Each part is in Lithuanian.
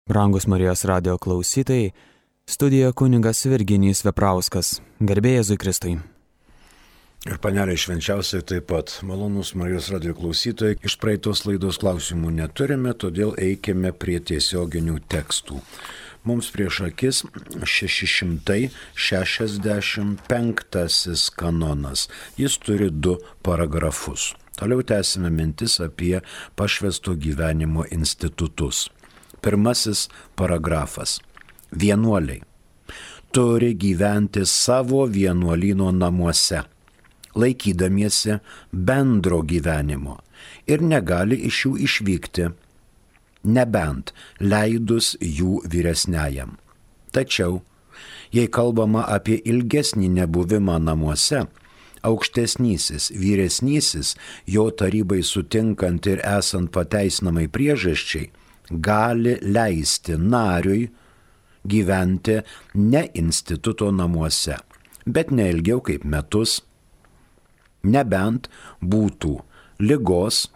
Brangus Marijos radio klausytojai, studijoje kunigas Virginijus Veprauskas. Garbė Jėzui Kristui. Ir panelė švenčiausiai taip pat. Malonus Marijos radio klausytojai, iš praeitos laidos klausimų neturime, todėl eikime prie tiesioginių tekstų. Mums prieš akis 665 kanonas. Jis turi 2 paragrafus. Toliau tęsime mintis apie pašvęsto gyvenimo institutus. Pirmasis paragrafas. Vienuoliai turi gyventi savo vienuolyno namuose, laikydamiesi bendro gyvenimo ir negali iš jų išvykti, nebent leidus jų vyresniajam. Tačiau, jei kalbama apie ilgesnį nebuvimą namuose, aukštesnysis, vyresnysis, jo tarybai sutinkant ir esant pateisinamai priežasčiai, gali leisti nariui gyventi ne instituto namuose, bet ne ilgiau kaip metus, nebent būtų ligos,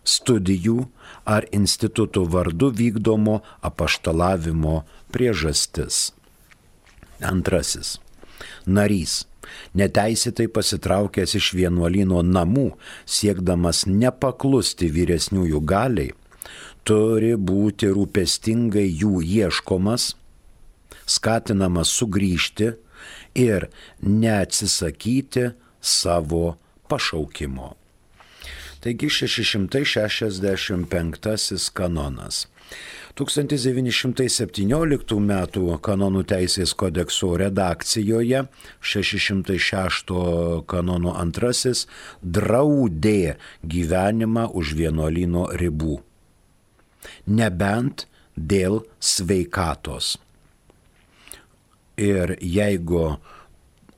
studijų ar instituto vardu vykdomo apaštalavimo priežastis. Antrasis. Narys, neteisėtai pasitraukęs iš vienuolyno namų, siekdamas nepaklusti vyresniųjų galiai, turi būti rūpestingai jų ieškomas, skatinamas sugrįžti ir neatsisakyti savo pašaukimo. Taigi 665 kanonas. 1917 m. kanonų teisės kodekso redakcijoje 606 kanono 2 draudė gyvenimą už vienuolyno ribų, nebent dėl sveikatos. Ir jeigu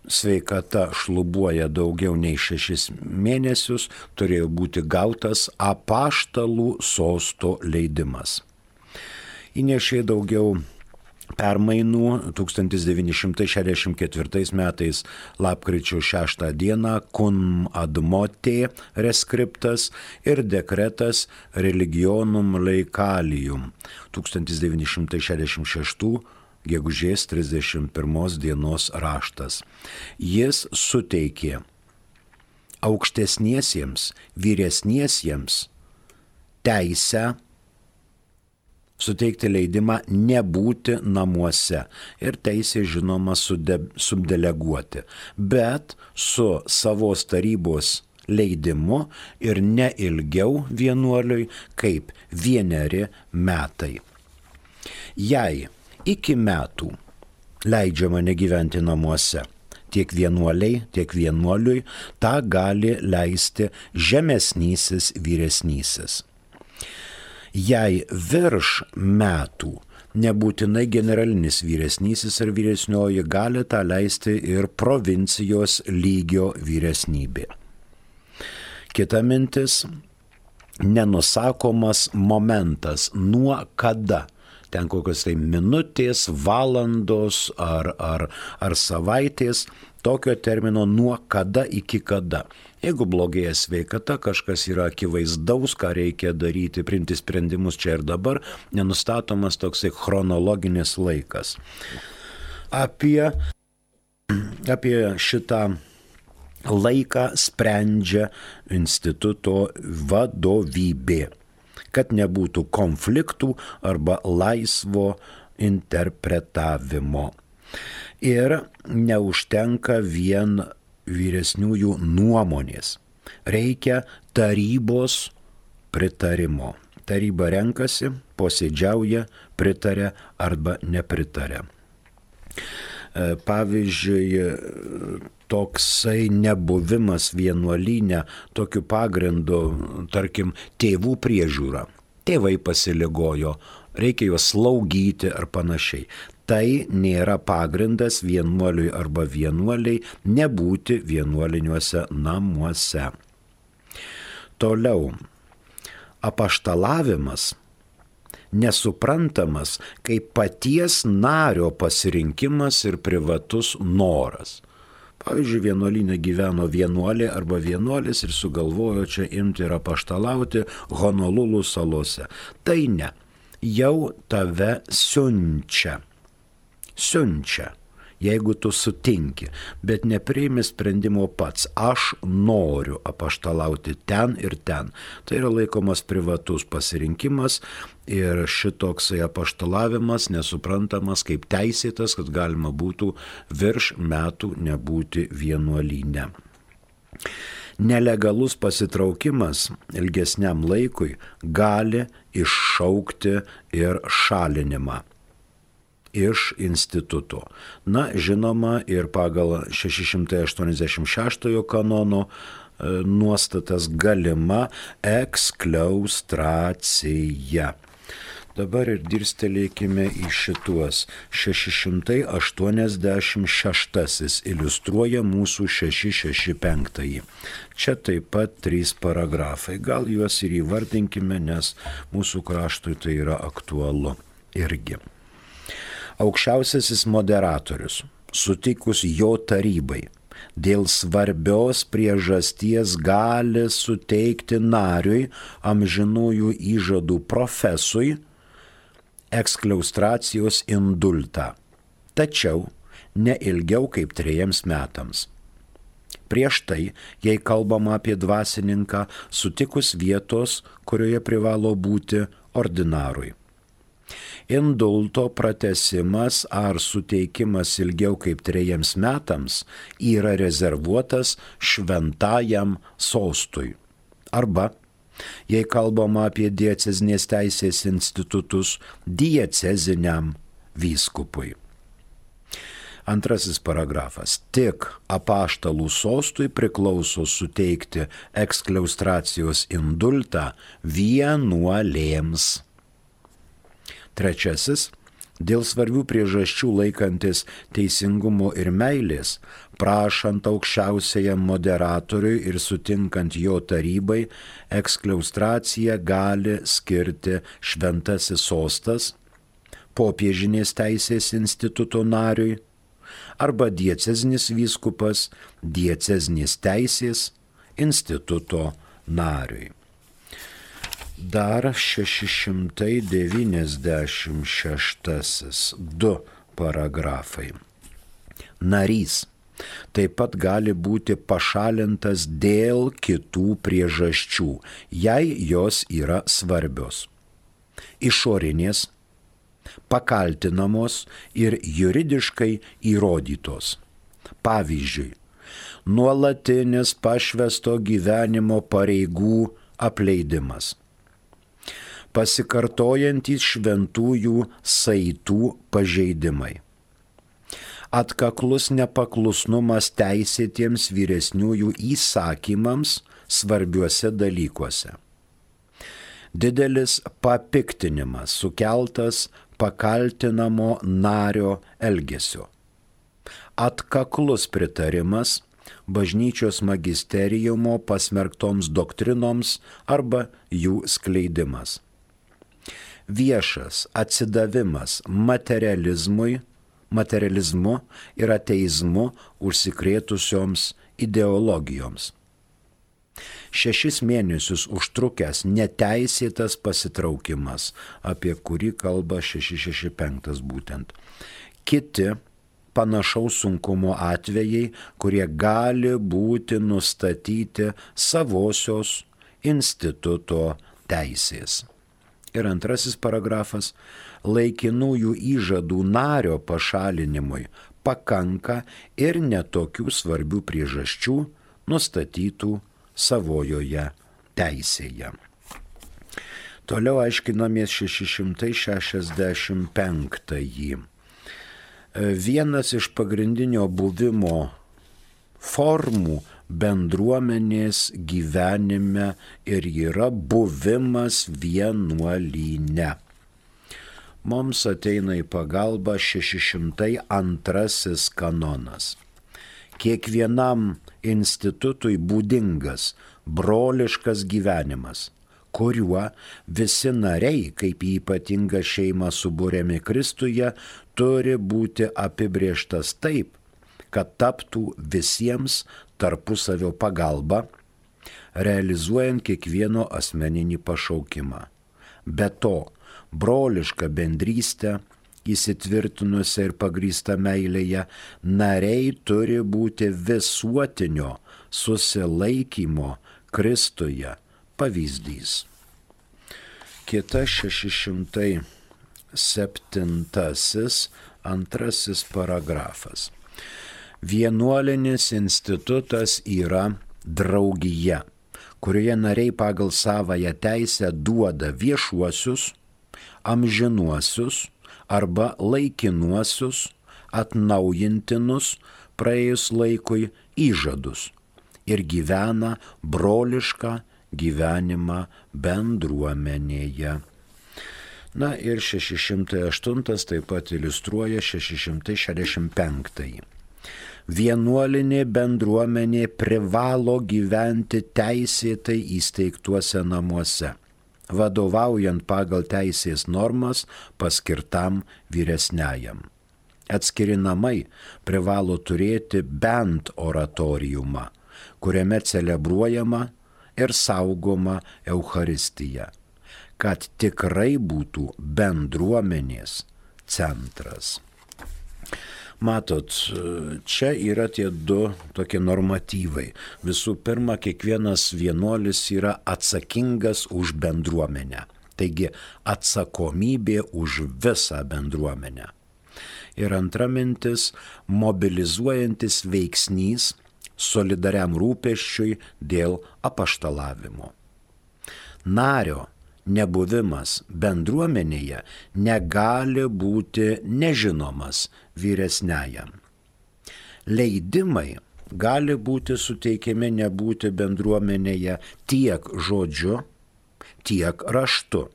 sveikata šlubuoja daugiau nei 6 mėnesius, turėjo būti gautas apaštalų sosto leidimas. Įnešė daugiau permainų 1964 metais lapkričio 6 dieną cum admote reskriptas ir dekretas religionum laicalium 1966 gegužės 31 dienos raštas. Jis suteikė aukštesniesiems, vyresniesiems teisę suteikti leidimą nebūti namuose ir teisė žinoma subdeleguoti, bet su savos tarybos leidimu ir ne ilgiau vienuoliui kaip 1 metai. Jei iki metų leidžiama negyventi namuose, tiek vienuoliai, tiek vienuoliui, tą gali leisti žemesnysis vyresnysis. Jei virš metų, nebūtinai generalinis vyresnysis ar vyresnioji, gali tą leisti ir provincijos lygio vyresnybė. Kita mintis, nenusakomas momentas, nuo kada. Ten kokios tai minutės, valandos ar savaitės, tokio termino nuo kada iki kada. Jeigu blogėja sveikata, kažkas yra akivaizdaus, ką reikia daryti, priimti sprendimus čia ir dabar, nenustatomas toksai chronologinis laikas. Apie šitą laiką sprendžia instituto vadovybė, kad nebūtų konfliktų arba laisvo interpretavimo. Ir neužtenka vien vyresniųjų nuomonės. Reikia tarybos pritarimo. Taryba renkasi, posėdžiauja, pritaria arba nepritaria. Pavyzdžiui, toksai nebuvimas vienuolyne tokiu pagrindu, tarkim, tėvų priežiūra. Tėvai pasiligojo, reikia juos slaugyti ar panašiai. Tai nėra pagrindas vienuoliui arba vienuoliai nebūti vienuoliniuose namuose. Toliau, apaštalavimas nesuprantamas kaip paties nario pasirinkimas ir privatus noras. Pavyzdžiui, vienuolyne gyveno vienuolė arba vienuolis ir sugalvojo čia imti ir apaštalauti Honolulu salose. Tai ne. jau tave siunčia. Jeigu tu sutinki, bet nepriimi sprendimo pats, aš noriu apaštalauti ten ir ten. Tai yra laikomas privatus pasirinkimas ir šitoksai apaštalavimas nesuprantamas kaip teisėtas, kad galima būtų virš metų nebūti vienuolyne. Nelegalus pasitraukimas ilgesniam laikui gali iššaukti ir šalinimą iš instituto. Na, žinoma, ir pagal 686 kanono nuostatas galima ekskliaustracija. Dabar ir dirstelėkime į šituos. 686 iliustruoja mūsų 665. Čia taip pat 3 paragrafai. Gal juos ir įvardinkime, nes mūsų kraštui tai yra aktualu irgi. Aukščiausiasis moderatorius, sutikus jo tarybai, dėl svarbios priežasties gali suteikti nariui amžinųjų įžadų profesui ekskliaustracijos indultą, tačiau ne ilgiau kaip 3 metams. Prieš tai, jei kalbama apie dvasininką, sutikus vietos, kurioje privalo būti ordinarui. Indulto pratęsimas ar suteikimas ilgiau kaip 3 metams yra rezervuotas šventajam sostui. Arba, jei kalbama apie diecezinės teisės institutus, dieceziniam vyskupui. 2 paragrafas. Tik apaštalų sostui priklauso suteikti ekskliaustracijos indultą vienuolėms. 3. Dėl svarbių priežasčių laikantis teisingumo ir meilės, prašant aukščiausiajam moderatoriui ir sutinkant jo tarybai, ekskliaustraciją gali skirti šventasis sostas, popiežinės teisės instituto nariui, arba diecezinis vyskupas diecezinės teisės instituto nariui. Dar 696, 2 paragrafai. Narys taip pat gali būti pašalintas dėl kitų priežasčių, jei jos yra svarbios. Išorinės, pakaltinamos ir juridiškai įrodytos. Pavyzdžiui, nuolatinis pašvęsto gyvenimo pareigų apleidimas. Pasikartojantys šventųjų saitų pažeidimai. Atkaklus nepaklusnumas teisėtiems vyresniųjų įsakymams svarbiuose dalykuose. Didelis papiktinimas sukeltas pakaltinamo nario elgesio. Atkaklus pritarimas bažnyčios magisteriumo pasmerktoms doktrinoms arba jų skleidimas. Viešas atsidavimas materializmu ir ateizmu užsikrėtusioms ideologijoms. 6 mėnesius užtrukęs neteisėtas pasitraukimas, apie kurį kalba 665 būtent. Kiti panašaus sunkumo atvejai, kurie gali būti nustatyti savosios instituto teisės. Ir 2 paragrafas. Laikinųjų įžadų nario pašalinimui pakanka ir netokių svarbių priežasčių nustatytų savojoje teisėje. Toliau aiškinamės 665. Vienas iš pagrindinio buvimo formų bendruomenės gyvenime ir yra buvimas vienuolyne. Mums ateina į pagalbą 602 kanonas. Kiekvienam institutui būdingas broliškas gyvenimas, kuriuo visi nariai, kaip į ypatingą šeimą subūrėmi Kristuje, turi būti apibrėžtas taip, kad taptų visiems tarpusavio pagalba, realizuojant kiekvieno asmeninį pašaukimą. Be to, brolišką bendrystę, įsitvirtinusią ir pagrįstą meilėje, nariai turi būti visuotinio susilaikymo Kristuje pavyzdys. Kita 607 antrasis paragrafas. Vienuolinis institutas yra draugija, kurioje nariai pagal savąją teisę duoda viešuosius, amžinuosius arba laikinuosius, atnaujintinus praėjus laikui įžadus ir gyvena brolišką gyvenimą bendruomenėje. Na ir 608 taip pat iliustruoja 665. Vienuolinė bendruomenė privalo gyventi teisėtai įsteigtuose namuose, vadovaujant pagal teisės normas paskirtam vyresniajam. Atskiri namai privalo turėti bent oratoriumą, kuriame celebruojama ir saugoma Eucharistija, kad tikrai būtų bendruomenės centras. Matot, čia yra tie du tokie normatyvai. Visų pirma, kiekvienas vienuolis yra atsakingas už bendruomenę. Taigi atsakomybė už visą bendruomenę. Ir antra mintis, mobilizuojantis veiksnys solidariam rūpesčiui dėl apaštalavimo. Nario nebuvimas bendruomenėje negali būti nežinomas vyresniajam. Leidimai gali būti suteikiami nebūti bendruomenėje tiek žodžiu, tiek raštu.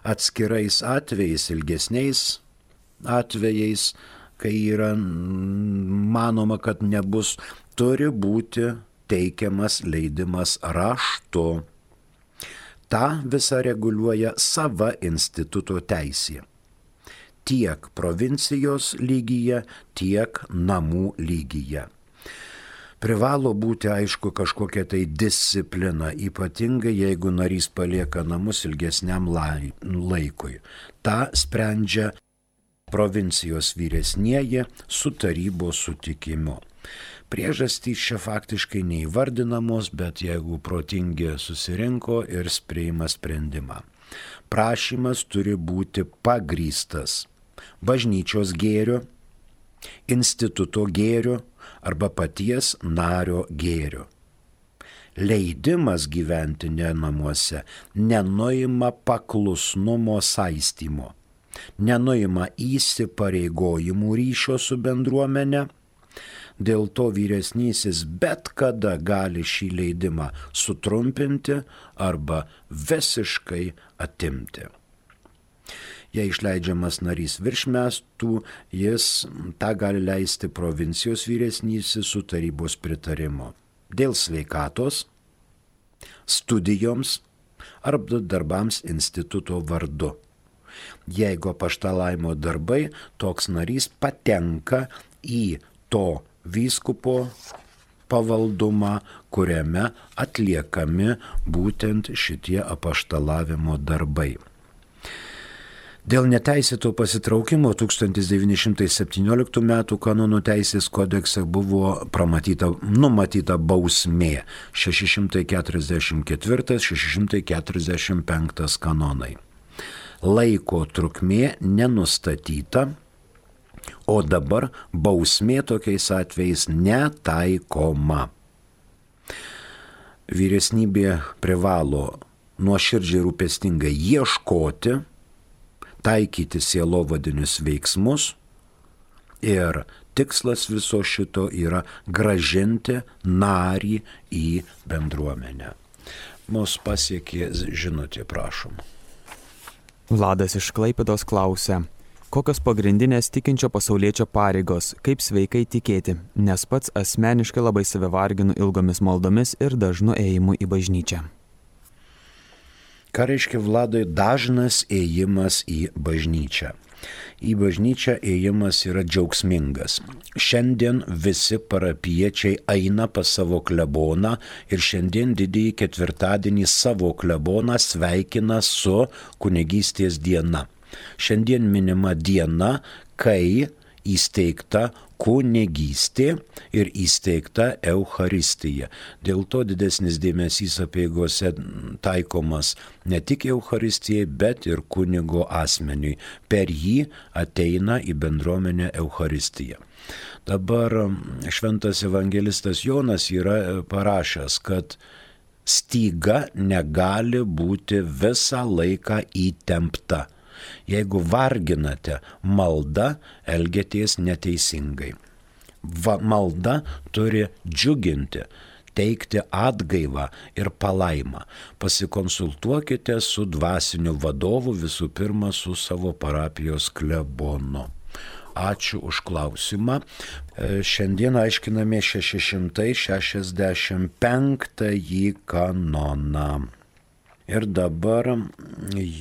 Atskirais atvejais, ilgesniais atvejais, kai yra manoma, kad nebus, turi būti teikiamas leidimas raštu. Ta visą reguliuoja sava instituto teisė. Tiek provincijos lygyje, tiek namų lygyje. Privalo būti, aišku, kažkokia tai disciplina, ypatingai jeigu narys palieka namus ilgesniam laikui. Ta sprendžia provincijos vyresnieji su tarybos sutikimu. Priežastys čia faktiškai neįvardinamos, bet jeigu protingi susirinko ir priima sprendimą. Prašymas turi būti pagrįstas bažnyčios gėriu, instituto gėriu arba paties nario gėriu. Leidimas gyventi ne namuose nenuima paklusnumo saistymo, nenuima įsipareigojimų ryšio su bendruomenė. Dėl to vyresnysis bet kada gali šį leidimą sutrumpinti arba visiškai atimti. Jei išleidžiamas narys virš metų, jis tą gali leisti provincijos vyresnysis su tarybos pritarimu. Dėl sveikatos, studijoms arba darbams instituto vardu. Jeigu apaštalavimo darbai, toks narys patenka į to vyskupo pavaldumą, kuriame atliekami būtent šitie apaštalavimo darbai. Dėl neteisėto pasitraukimo 1917 m. kanonų teisės kodekse buvo numatyta bausmė 644-645 kanonai. Laiko trukmė nenustatyta, o dabar bausmė tokiais atvejais netaikoma. Vyresnybė privalo nuoširdžiai rūpestingai ieškoti, taikyti sielovadinius veiksmus ir tikslas viso šito yra grąžinti narį į bendruomenę. Mus pasiekė žinutė, prašom. Vladas iš Klaipėdos klausia, kokios pagrindinės tikinčio pasauliečio pareigos, kaip sveikai tikėti, nes pats asmeniškai labai save varginu ilgomis maldomis ir dažnu ėjimu į bažnyčią. Ką reiškia, Vladai, dažnas ėjimas į bažnyčią? Į bažnyčią ėjimas yra džiaugsmingas. Šiandien visi parapiečiai eina pas savo kleboną ir šiandien didįjį ketvirtadienį savo kleboną sveikina su kunigystės diena. Šiandien minima diena, kai įsteigta kunigystė ir įsteigta Eucharistija. Dėl to didesnis dėmesys apeigose taikomas ne tik Eucharistijai, bet ir kunigo asmeniui. Per jį ateina į bendruomenę Eucharistija. Dabar šventas evangelistas Jonas yra parašęs, kad styga negali būti visą laiką įtempta. Jeigu varginate maldą, elgiatės neteisingai. Malda turi džiuginti, teikti atgaivą ir palaimą. Pasikonsultuokite su dvasiniu vadovu, visų pirma su savo parapijos klebonu. Ačiū už klausimą. Šiandien aiškiname 665 kanoną. Ir dabar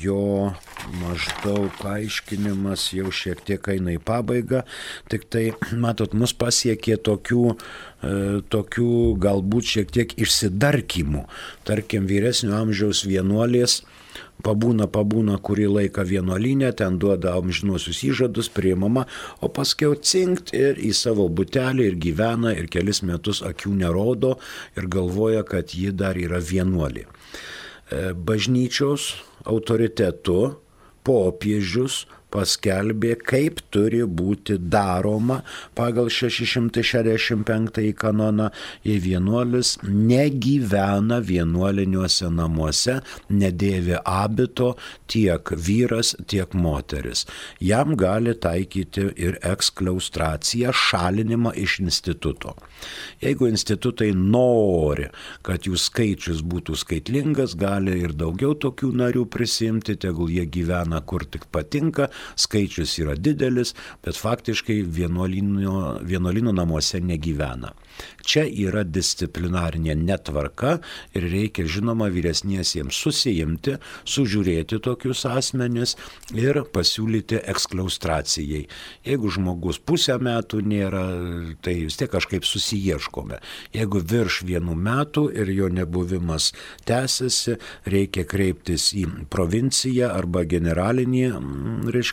jo maždaug aiškinimas jau šiek tiek eina į pabaigą, tik tai, matot, mus pasiekė tokių galbūt šiek tiek išsidarkymų. Tarkim, vyresnio amžiaus vienuolės pabūna kurį laiką vienuolyne, ten duoda amžinuosius įžadus, priimama, o paskiau cinkt ir į savo butelį ir gyvena ir kelis metus akių nerodo ir galvoja, kad ji dar yra vienuolė. Bažnyčios autoritetu popiežius paskelbė, kaip turi būti daroma pagal 665 kanoną, jei vienuolis negyvena vienuoliniuose namuose, nedėvi abito tiek vyras, tiek moteris. Jam gali taikyti ir ekskliaustraciją, šalinimą iš instituto. Jeigu institutai nori, kad jų skaičius būtų skaitlingas, gali ir daugiau tokių narių prisimti, tegul jie gyvena kur tik patinka, skaičius yra didelis, bet faktiškai vienuolynų namuose negyvena. Čia yra disciplinarinė netvarka ir reikia, žinoma, vyresniesiems susijimti, sužiūrėti tokius asmenis ir pasiūlyti ekskliaustracijai. Jeigu žmogus pusę metų nėra, tai vis tiek kažkaip susiieškome. Jeigu virš 1 metų ir jo nebuvimas tęsiasi, reikia kreiptis į provinciją arba generalinį,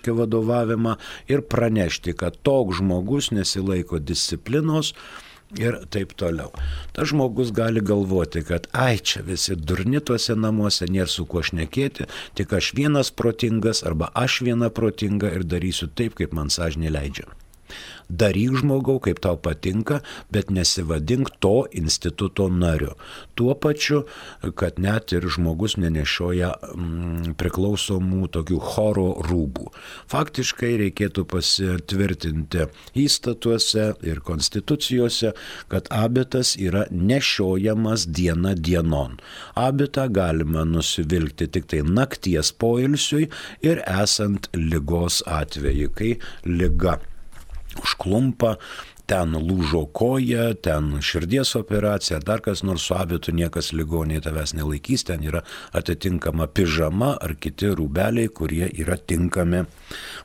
vadovavimą ir pranešti, kad toks žmogus nesilaiko disciplinos ir taip toliau. Tas žmogus gali galvoti, kad čia visi durni tuose namuose, nėra su kuo šnekėti, tik aš vienas protingas arba aš viena protinga ir darysiu taip, kaip man sąžinė leidžia. Daryk, žmogau, kaip tau patinka, bet nesivadink to instituto nariu. Tuo pačiu, kad net ir žmogus nenešioja priklausomų tokių choro rūbų. Faktiškai reikėtų pasitvirtinti įstatuose ir konstitucijose, kad abitas yra nešiojamas diena dienon. Abitą galima nusivilkti tik tai nakties poilsiui ir esant ligos atveju, kai liga užklumpa, ten lūžo koja, ten širdies operacija, dar kas nors, su abitu niekas ligoniai tavęs nelaikys, ten yra atitinkama pižama ar kiti rūbeliai, kurie yra tinkami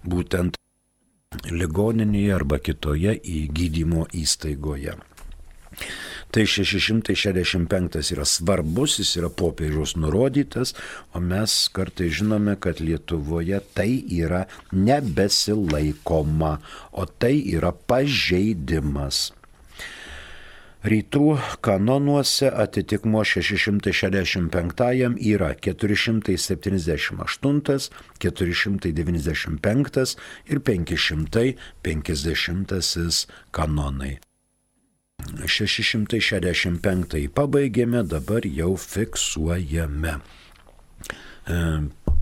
būtent ligoninėje arba kitoje gydymo įstaigoje. Tai 665 yra svarbus, jis yra popiežiaus nurodytas, o mes kartai žinome, kad Lietuvoje tai yra nebesilaikoma, o tai yra pažeidimas. Rytų kanonuose atitikmuo 665 yra 478, 495 ir 550 kanonai. 665 pabaigėme, dabar jau fiksuojame.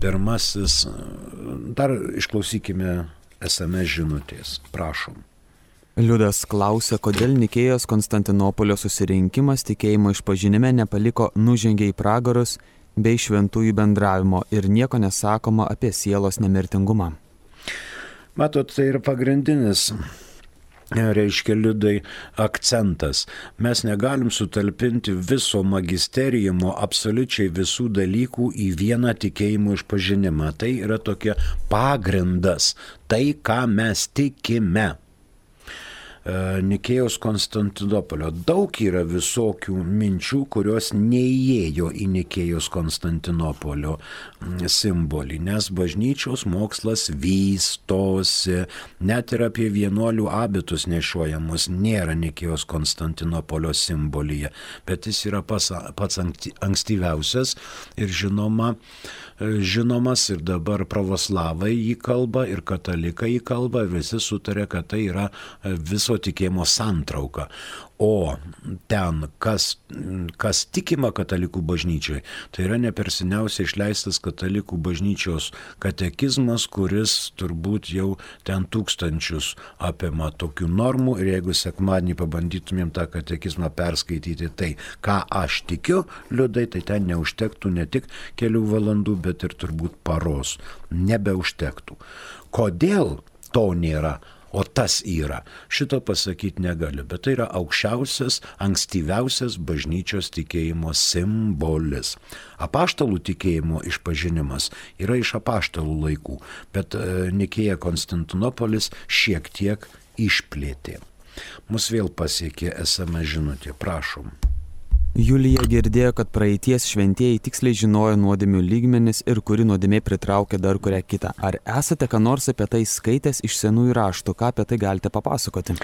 Pirmasis, dar išklausykime SMS žinutės, prašom. Liudas klausia, kodėl Nikėjos Konstantinopolio susirinkimas tikėjimo išpažinime nepaliko nužengė į pragarus bei šventųjų bendravimo ir nieko nesakoma apie sielos nemirtingumą. Matot, tai yra pagrindinis reiškia, Liudai, akcentas. Mes negalim sutalpinti viso magisteriumo, absoliučiai visų dalykų į vieną tikėjimo išpažinimą. Tai yra tokia pagrindas, tai, ką mes tikime. Nikėjos Konstantinopolio. Daug yra visokių minčių, kurios neįėjo į Nikėjos Konstantinopolio simbolį, nes bažnyčios mokslas vystosi, net ir apie vienuolių abitus nešiojamus nėra Nikėjos Konstantinopolio simbolyje, bet jis yra pats ankstyviausias ir žinomas ir dabar pravoslavai jį kalba ir katalikai jį kalba, visi sutarė, kad tai yra viso tikėjimo santrauka. O ten, kas tikima katalikų bažnyčiai, tai yra neperseniausiai išleistas katalikų bažnyčios katekizmas, kuris turbūt jau ten tūkstančius apima tokių normų ir jeigu sekmadienį pabandytumėm tą katekizmą perskaityti, tai ką aš tikiu, Liudai, tai ten neužtektų ne tik kelių valandų, bet ir turbūt paros. Nebeužtektų. Kodėl to nėra? O tas yra. Šito pasakyti negaliu, bet tai yra aukščiausias, ankstyviausias bažnyčios tikėjimo simbolis. Apaštalų tikėjimo išpažinimas yra iš apaštalų laikų, bet Nikėja Konstantinopolis šiek tiek išplėtė. Mus vėl pasiekė SMS žinutė, prašom. Julija girdėjo, kad praeities šventieji tiksliai žinojo nuodėmių lygmenis ir kuri nuodėmė pritraukia dar kurią kitą. Ar esate ką nors apie tai skaitęs iš senųjų raštų? Ką apie tai galite papasakoti?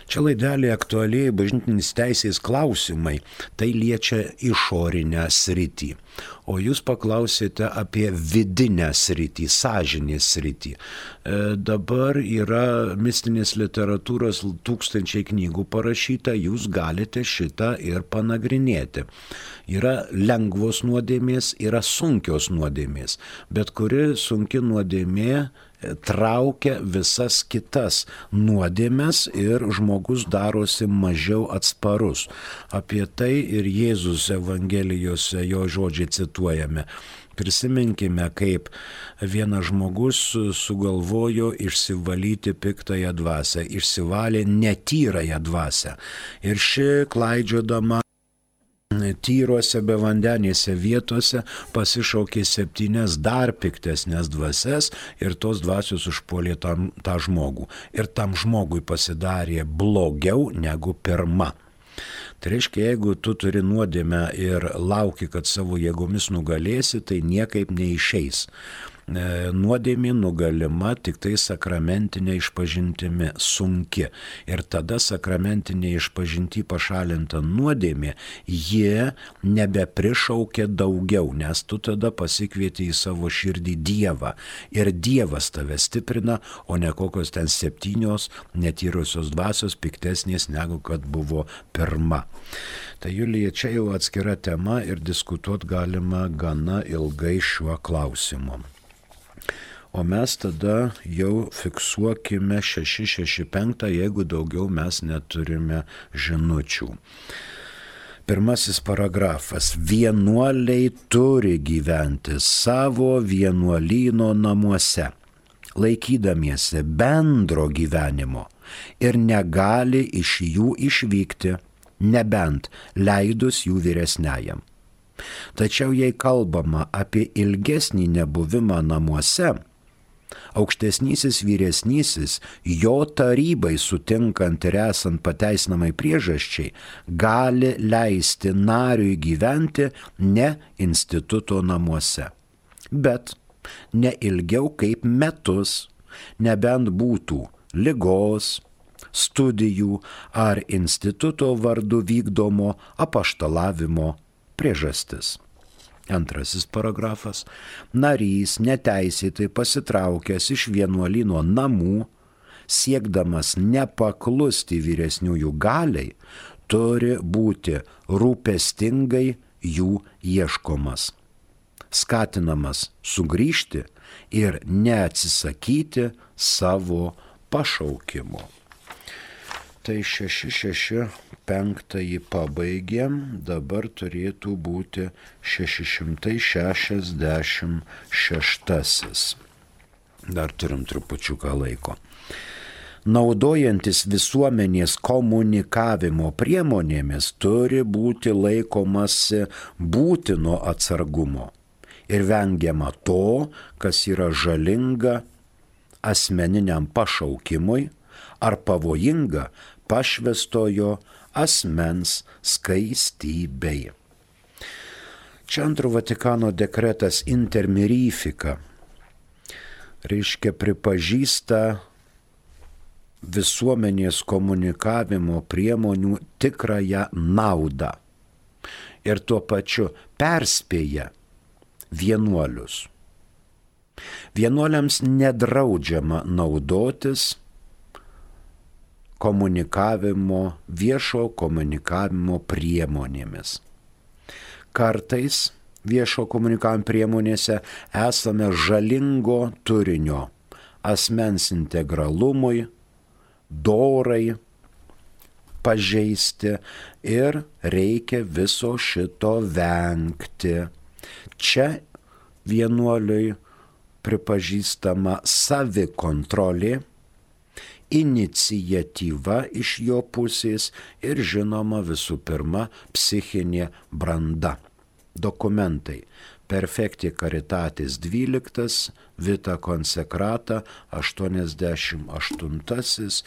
Čia laidelė aktualiai bažnytinės teisės klausimai, tai liečia išorinę sritį. O jūs paklausėte apie vidinę sritį, sąžinės sritį. Dabar yra mistinės literatūros tūkstančiai knygų parašyta, jūs galite šitą ir panagrinėti. Yra lengvos nuodėmės, yra sunkios nuodėmės, bet kuri sunki nuodėmė traukia visas kitas nuodėmes ir žmogus darosi mažiau atsparus. Apie tai ir Jėzus Evangelijose jo žodžiai cituojame. Prisiminkime, kaip vienas žmogus sugalvojo išsivalyti piktąją dvasią, išsivalė netyrąją dvasią. Ir ši klaidžiodama tyruose bevandenėse vietose pasišaukė 7 dar piktesnės dvasias ir tos dvasios užpuolė tą žmogų. Ir tam žmogui pasidarė blogiau negu pirma. Tai reiškia, jeigu tu turi nuodėmę ir lauki, kad savo jėgomis nugalėsi, tai niekaip neišeis. Nuodėmė nugalima tik tai sakramentinė išpažintimi, sunki. Ir tada sakramentinė išpažinti pašalinta nuodėmė, jie nebeprišaukia daugiau, nes tu tada pasikvieti į savo širdį Dievą. Ir Dievas tave stiprina, o ne kokios ten 7 netyrusios dvasios piktesnės negu kad buvo pirma. Tai Julija, čia jau atskira tema ir diskutuoti galima gana ilgai šiuo klausimu. O mes tada jau fiksuokime 665, jeigu daugiau mes neturime žinučių. Pirmasis paragrafas. Vienuoliai turi gyventi savo vienuolyno namuose, laikydamiesi bendro gyvenimo ir negali iš jų išvykti, nebent leidus jų vyresniajam. Tačiau jei kalbama apie ilgesnį nebuvimą namuose, aukštesnysis vyresnysis, jo tarybai sutinkant ir esant pateisinamai priežasčiai, gali leisti nariui gyventi ne instituto namuose, bet ne ilgiau kaip metus, nebent būtų ligos, studijų ar instituto vardu vykdomo apaštalavimo priežastis. Antrasis paragrafas. Narys neteisėtai pasitraukęs iš vienuolyno namų, siekdamas nepaklusti vyresniųjų galiai, turi būti rūpestingai jų ieškomas, skatinamas sugrįžti ir neatsisakyti savo pašaukimo. Tai 665 pabaigėm, dabar turėtų būti 666. Dar turim trupučiuką laiko. naudojantis visuomenės komunikavimo priemonėmis turi būti laikomasi būtino atsargumo ir vengiama to, kas yra žalinga asmeniniam pašaukimui ar pavojinga pašvęstojo asmens skaistybei. Čia Antro Vatikano dekretas Inter Mirifica reiškia pripažįsta visuomenės komunikavimo priemonių tikrąją naudą ir tuo pačiu perspėja vienuolius. Vienuoliams nedraudžiama naudotis viešo komunikavimo priemonėmis. Kartais viešo komunikavimo priemonėse esame žalingo turinio asmens integralumui, dorai pažeisti ir reikia viso šito vengti. Čia vienuoliui pripažįstama savikontrolė, iniciatyva iš jo pusės ir žinoma visų pirma psichinė branda. Dokumentai: Perfecti Caritatis 12, Vita Consecrata 88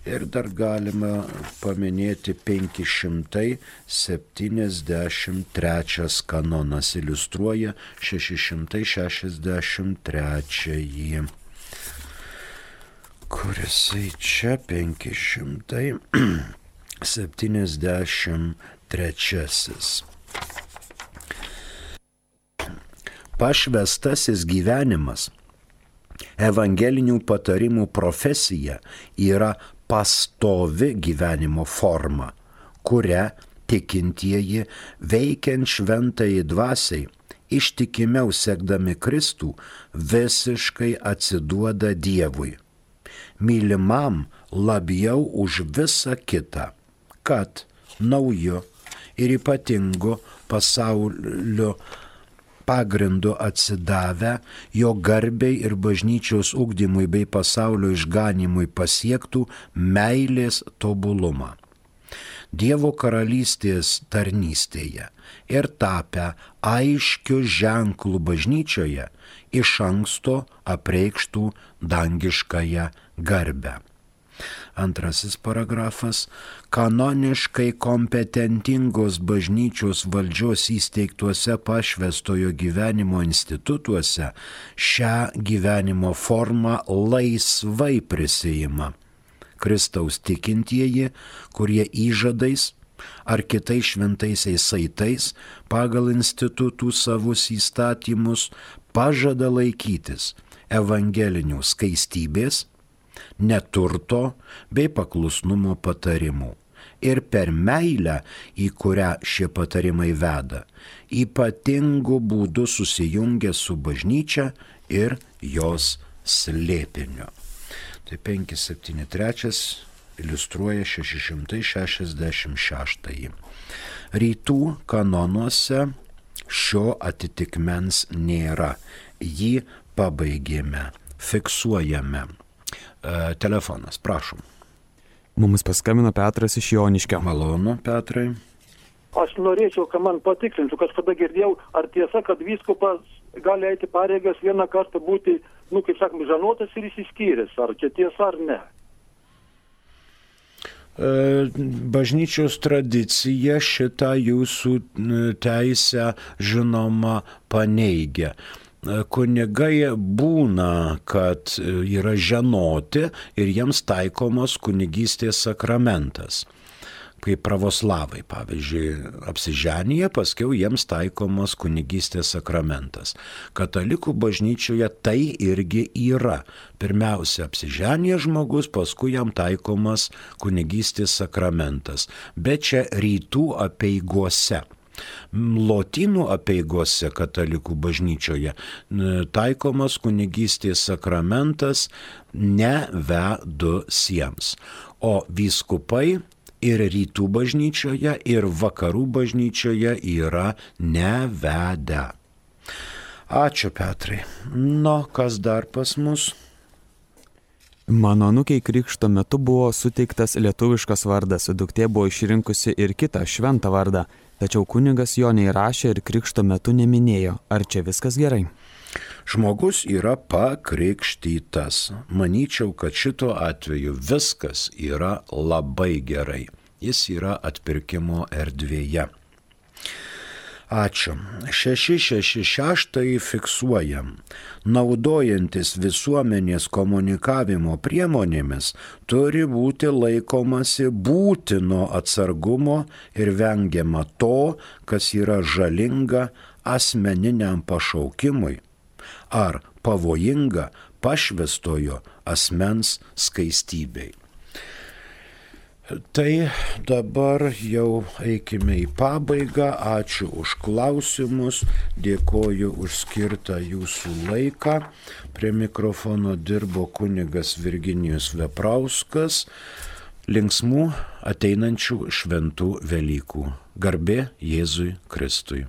ir dar galima paminėti 573 kanonas, iliustruoja 663. Kurisai čia 573. Pašvęstasis gyvenimas, evangelinių patarimų profesija yra pastovi gyvenimo forma, kurią tikintieji veikiant šventajai dvasiai, ištikimiau sekdami Kristų, visiškai atsiduoda Dievui, mylimam labiau už visą kitą, kad nauju ir ypatingu pasaulio pagrindu atsidavę, jo garbei ir bažnyčios ugdymui bei pasaulio išganymui pasiektų meilės tobulumą. Dievo karalystės tarnystėje ir tapę aiškiu ženklu bažnyčioje iš anksto apreikštų dangiškąją garbę. Antrasis paragrafas. Kanoniškai kompetentingos bažnyčios valdžios įsteigtuose pašvęstojo gyvenimo institutuose šią gyvenimo formą laisvai prisiima Kristaus tikintieji, kurie įžadais ar kitais šventaisiais saitais pagal institutų savus įstatymus pažada laikytis evangelinių skaistybės, neturto bei paklusnumo patarimų ir per meilę, į kurią šie patarimai veda, ypatingu būdu susijungia su bažnyčia ir jos slėpiniu. Tai 573 iliustruoja 666. Rytų kanonuose šio atitikmens nėra. Jį pabaigėme, fiksuojame. Telefonas, prašom. Mums paskambino Petras iš Joniškio. Malonu, Petrai. Aš norėčiau, kad man patikslintų, kažkada girdėjau, ar tiesa, kad vyskupas gali eiti pareigas vieną kartą būti, kaip sakome, žanotas ir išsiskyręs, ar čia tiesa ar ne? Bažnyčios tradicija šitą jūsų teisę žinoma paneigia. Kunigai būna, kad yra ženoti ir jiems taikomas kunigystės sakramentas. Kaip pravoslavai, pavyzdžiui, apsiženyje, paskiau jiems taikomas kunigystės sakramentas. Katalikų bažnyčioje tai irgi yra. Pirmiausia, apsiženyje žmogus, paskui jam taikomas kunigystės sakramentas. Bet čia rytų apeigose. Lotynų apeigose katalikų bažnyčioje taikomas kunigystės sakramentas nevedusiems, o vyskupai ir rytų bažnyčioje, ir vakarų bažnyčioje yra nevedę. Ačiū, Petrai. Kas dar pas mus? Mano anūkiai krikšto metu buvo suteiktas lietuviškas vardas, duktė buvo išrinkusi ir kitą šventą vardą, tačiau kunigas jo neįrašė ir krikšto metu neminėjo. Ar čia viskas gerai? Žmogus yra pakrikštytas. Manyčiau, kad šituo atveju viskas yra labai gerai. Jis yra atpirkimo erdvėje. Ačiū. 666 fiksuojam. Naudojantis visuomenės komunikavimo priemonėmis turi būti laikomasi būtino atsargumo ir vengiama to, kas yra žalinga asmeniniam pašaukimui ar pavojinga pašvęstojo asmens skaistybei. Tai dabar jau eikime į pabaigą. Ačiū už klausimus, dėkoju už skirtą jūsų laiką. Prie mikrofono dirbo kunigas Virginijus Veprauskas. Linksmų ateinančių šventų Velykų. Garbė Jėzui Kristui.